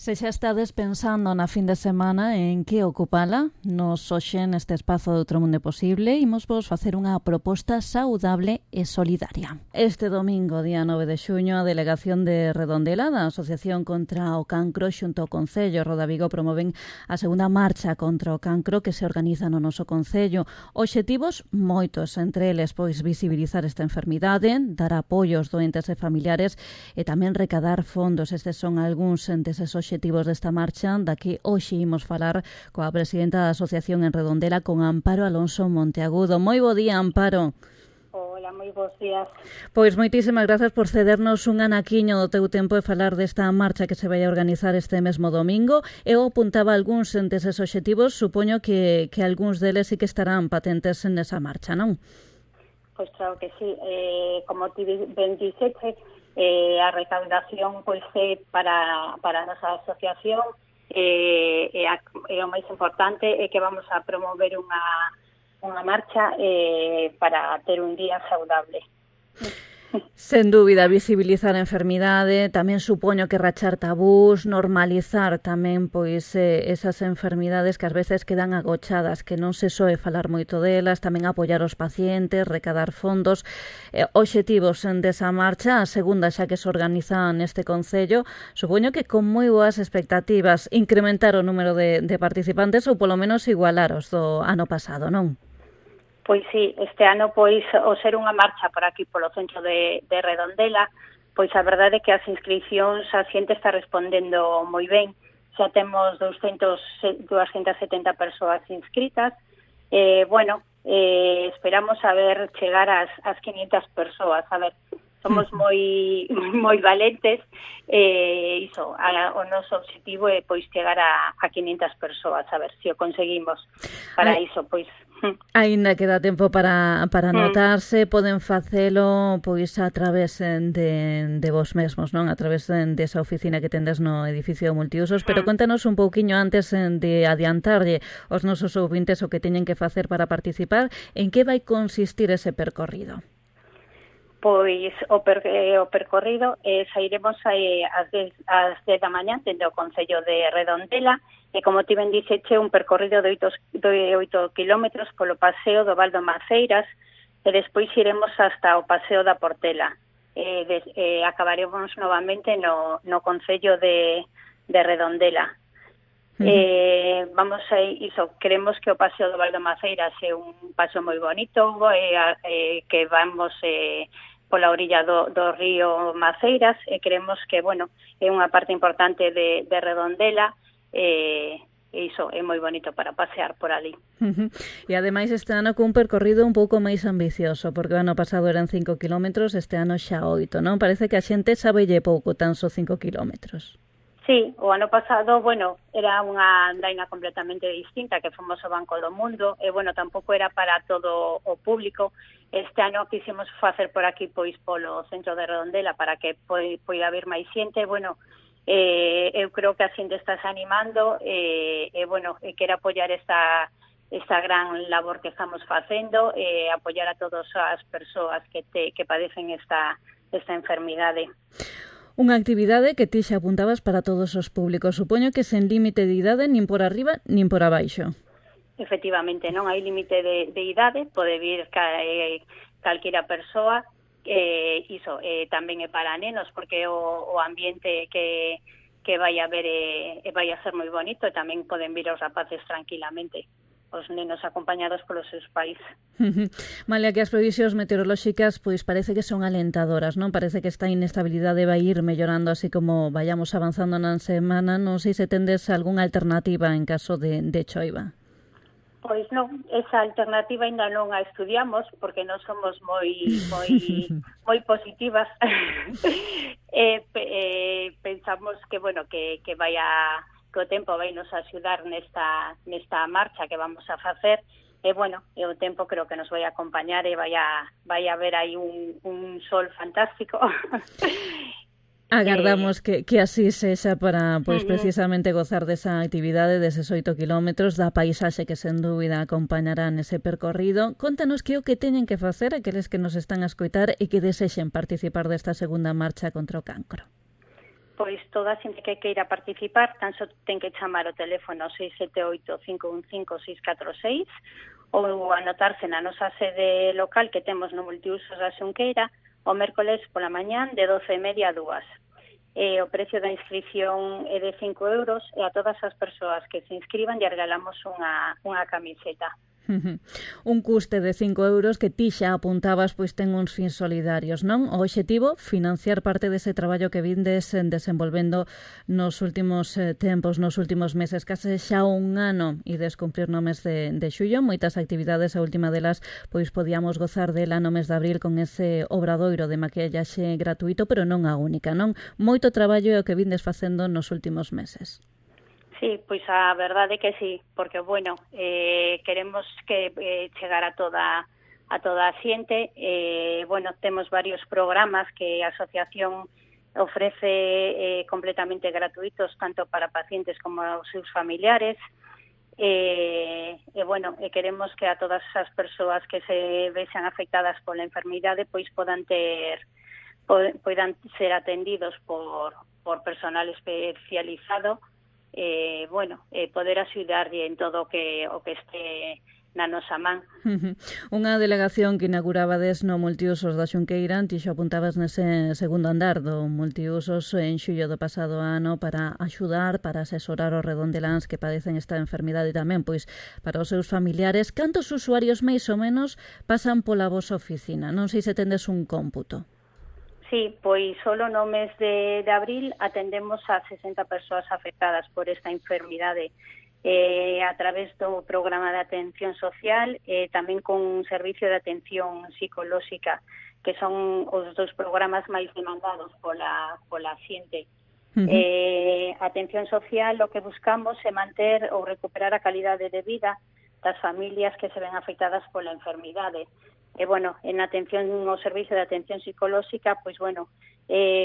Se xa estades pensando na fin de semana en que ocupala, nos hoxe neste espazo de Outro Mundo Posible imos vos facer unha proposta saudable e solidaria. Este domingo, día 9 de xuño, a Delegación de Redondela da Asociación contra o Cancro xunto ao Concello Rodavigo promoven a segunda marcha contra o cancro que se organiza no noso Concello. Obxectivos moitos, entre eles pois visibilizar esta enfermidade, dar apoio aos doentes e familiares e tamén recadar fondos. Estes son algúns deses obxectivos desta marcha da que hoxe imos falar coa presidenta da Asociación en Redondela, con Amparo Alonso Monteagudo. Moi bo día, Amparo. Hola, moi bons días. Pois moitísimas grazas por cedernos un anaquiño do teu tempo e falar desta marcha que se vai a organizar este mesmo domingo. Eu apuntaba algúns deses obxectivos, supoño que algúns deles sí que estarán patentes nesa marcha, non? Pois claro que sí. Como ti ben dixete, a recaudación pois é para a nosa asociación e o máis importante é que vamos a promover unha marcha para ter un día saudable. Sen dúbida, visibilizar a enfermidade, tamén supoño que rachar tabús, normalizar tamén pois esas enfermidades que ás veces quedan agochadas, que non se soe falar moito delas, tamén apoiar os pacientes, recadar fondos, obxectivos desa marcha, a segunda xa que se organiza neste Concello, supoño que con moi boas expectativas, incrementar o número de participantes ou polo menos igualar os do ano pasado, non? Pois sí, este ano, pois, ao ser unha marcha por aquí, polo centro de Redondela, pois a verdade é que as inscripcións a xente está respondendo moi ben. Xa temos 270 persoas inscritas. Esperamos a ver chegar ás 500 persoas. A ver, somos moi valentes. O noso objetivo é pois chegar a 500 persoas, a ver se o conseguimos. Para iso, pois... Aínda queda tempo para anotarse, poden facelo pois a través de vos mesmos, non? A través desa oficina que tendes no edificio multiusos, pero contanos un pouquiño antes de adiantarlle aos nosos ouvintes o que teñen que facer para participar, en que vai consistir ese percorrido? Pois o percorrido sairemos ás 10 da mañá dende o Concello de Redondela e, como ti ben dixeche, un percorrido de 8 kilómetros polo paseo do Val do Maceiras e despois iremos hasta o paseo da Portela. Acabaremos novamente no Concello de Redondela. Queremos que o paseo do Val do Maceiras é un paseo moi bonito, que vamos pola orilla do río Maceiras e queremos que, é unha parte importante de Redondela e iso é moi bonito para pasear por ali. E ademais este ano cun percorrido un pouco máis ambicioso, porque o ano pasado eran 5 kilómetros, este ano xa 8, non? Parece que a xente sabelle pouco tan só 5 kilómetros. Sí, o ano pasado, era unha andaina completamente distinta, que fomos ao Banco do Mundo, e, tampouco era para todo o público. Este ano quisimos facer por aquí, pois, polo centro de Redondela, para que poida haber máis xente. Eu creo que a xente está animando, e quero apoiar esta gran labor que estamos facendo, apoiar a todas as persoas que padecen esta enfermidade. Unha actividade que ti xa apuntabas para todos os públicos. Supoño que sen límite de idade, nin por arriba, nin por abaixo. Efectivamente, non hai límite de idade, pode vir calquera persoa, tamén é para nenos, porque o ambiente que vai haber vai a ser moi bonito, e tamén poden vir os rapaces tranquilamente, os nenos acompañados polos seus pais. Malia que as previsións meteorolóxicas pois parece que son alentadoras, non? Parece que esta inestabilidade vai ir mellorando así como vayamos avanzando na semana. Non sei se tendes algunha alternativa en caso de choiva. Pois non, esa alternativa ainda non a estudiamos porque non somos moi positivas. Pensamos que que o tempo vai nos axudar nesta marcha que vamos a facer e o tempo creo que nos vai acompañar e vai a haber aí un sol fantástico. Agardamos que así sexa para precisamente gozar desa actividade, deses 8 kilómetros, da paisaxe que sen dúbida acompañará nese percorrido. Contanos que o que teñen que facer aqueles que nos están a escoitar e que desexen participar desta segunda marcha contra o cancro. pois toda a xente que queira participar tan só ten que chamar o teléfono 678-515-646 ou anotarse na nosa sede local que temos no multiusos da Xunqueira o mércoles pola mañán de 12:30 a 2. O precio da inscripción é de 5 euros e a todas as persoas que se inscriban lle regalamos unha camiseta. Un custe de 5 euros que ti xa apuntabas pois ten uns fins solidarios, non? O obxectivo, financiar parte dese traballo que vindes desenvolvendo nos últimos tempos, nos últimos meses, case xa un ano ides cumplir no mes de xullo, moitas actividades, a última delas pois podíamos gozar dela no mes de abril con ese obradoiro de maquillaxe gratuito, pero non a única, non? Moito traballo é o que vindes facendo nos últimos meses. Sí, pois a verdade é que sí, porque, bueno, queremos que chegar a toda a xente. Bueno, temos varios programas que a asociación ofrece completamente gratuitos, tanto para pacientes como aos seus familiares. Bueno, queremos que a todas as persoas que se vexan afectadas pola enfermidade pois poidan ser atendidos por personal especializado, bueno, poder axudarlle en todo o que este na nosa man. Unha delegación que inaugurabades no multiusos da Xunqueira, ti xo apuntabas nese segundo andar do multiusos en xullo do pasado ano para axudar, para asesorar os redondeláns que padecen esta enfermidade e tamén pois para os seus familiares. Cantos usuarios máis ou menos pasan pola vosa oficina? Non sei se tendes un cómputo. Sí, pois solo no mes de abril atendemos a 60 persoas afectadas por esta enfermidade a través do programa de atención social e tamén con un servicio de atención psicolóxica, que son os dos programas máis demandados pola xente. Atención social, o que buscamos é manter ou recuperar a calidade de vida das familias que se ven afectadas pola enfermidade. Bueno, en atención, o servicio de atención psicolóxica, pois, bueno,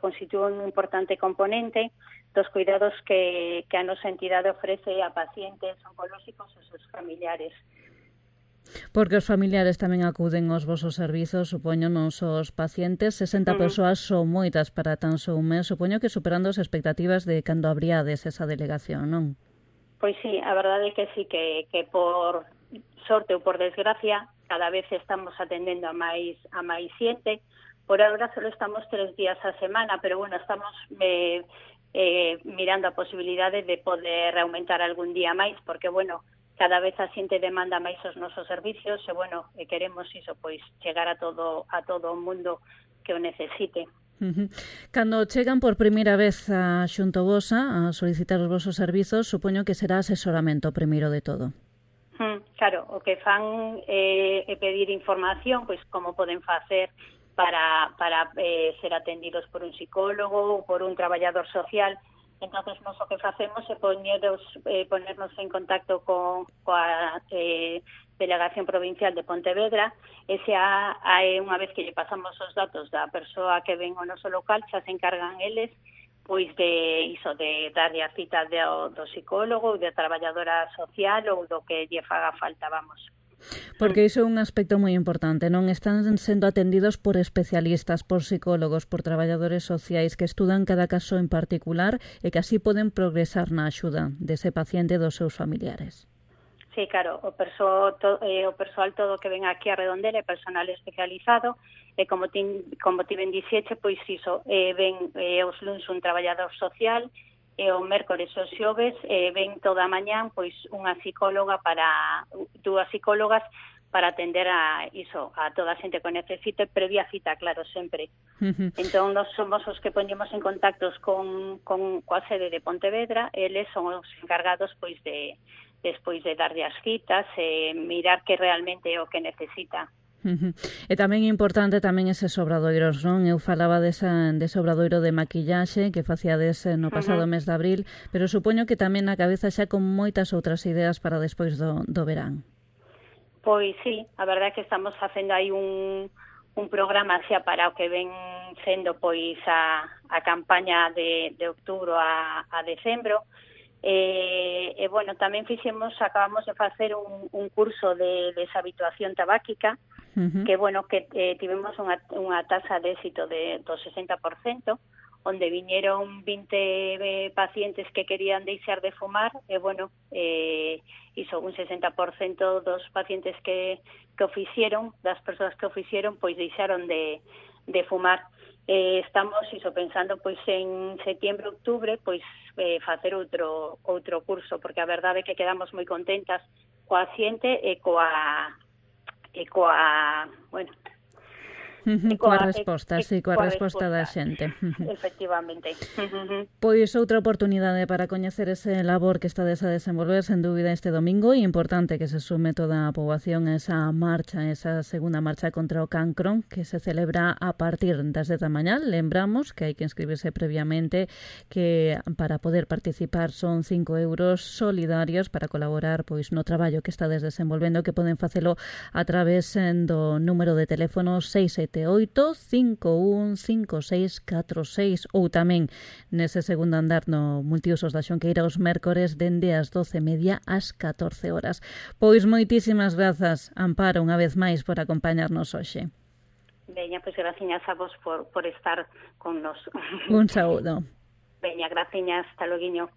constitúe un importante componente dos cuidados que a nosa entidade ofrece a pacientes oncolóxicos e seus familiares. Porque os familiares tamén acuden aos vosos servizos, supoño, non só os pacientes. 60 persoas son moitas para tan só un mes, supoño que superando as expectativas de cando abriades esa delegación, non? Pois sí, a verdade é que sí, que por sorte ou por desgracia, cada vez estamos atendendo a máis xente. Por agora só estamos 3 días a semana, pero bueno, estamos mirando a posibilidade de poder aumentar algún día máis, porque bueno, cada vez a xente demanda máis os nosos servicios e bueno, queremos iso, pois chegar a todo o mundo que o necesite. Cando chegan por primeira vez a xunto vosa a solicitar os vosos servizos, supoño que será asesoramento primeiro de todo. Claro, o que fan é pedir información, pois como poden facer para ser atendidos por un psicólogo ou por un traballador social. Entonces, nós o que facemos é ponernos en contacto coa Delegación Provincial de Pontevedra, e xa unha vez que lle pasamos os datos da persoa que ven ao noso local, xa se encargan eles pois de darlle a cita do psicólogo ou da traballadora social ou do que lle faga falta, vamos. Porque iso é un aspecto moi importante, non? Están sendo atendidos por especialistas, por psicólogos, por traballadores sociais que estudan cada caso en particular e que así poden progresar na axuda dese paciente e dos seus familiares. Sí, claro, o persoal todo que ven aquí a Redondela é personal especializado e como ti ben dixeche, pois iso, ven os luns un traballador social e o mércores os xoves ven toda a mañán pois dúas psicólogas para atender a toda a xente que necesite, previa cita, claro, sempre. Entón, nós somos os que poñemos en contactos coa sede de Pontevedra, eles son os encargados pois despois de darlle as citas e mirar que realmente é o que necesita. E tamén é importante tamén eses obradoiros, non? Eu falaba dese obradoiro de maquillaxe que facíades no pasado mes de abril, pero supoño que tamén na cabeza xa con moitas outras ideas para despois do verán. Pois sí, a verdade é que estamos facendo aí un programa xa para o que ven sendo pois a campaña de outubro a decembro. Bueno, tamén acabamos de facer un curso de deshabituación tabáquica, que bueno, que tivemos unha taxa de éxito do 60%, onde viñeron 20 pacientes que querían deixar de fumar, e, bueno, iso, un 60% dos pacientes que o fixeron, das persoas que o fixeron, pois deixaron de fumar. Estamos iso pensando pois en setembro, outubro, pois facer outro curso, porque a verdade é que quedamos moi contentas coa xente e coa bueno, coa resposta, sí, coa resposta da xente. Efectivamente. Pois outra oportunidade para coñecer ese labor que estades a desenvolver, sen dúbida, este domingo, e importante que se sume toda a poboación a esa marcha, esa segunda marcha contra o cancro, que se celebra a partir das 10 da mañá. Lembramos que hai que inscribirse previamente, que para poder participar son 5 euros solidarios para colaborar pois no traballo que estades desenvolvendo, que poden facelo a través do número de teléfono 678-515646, ou tamén nese segundo andar no multiusos da Xonqueira os mércores dende as 12:30 ás 14 horas. Pois moitísimas grazas, Amparo, unha vez máis por acompañarnos hoxe. Veña, pois graciñas a vos por estar con nos. Un saúdo. Veña, graciñas, hasta loguiño.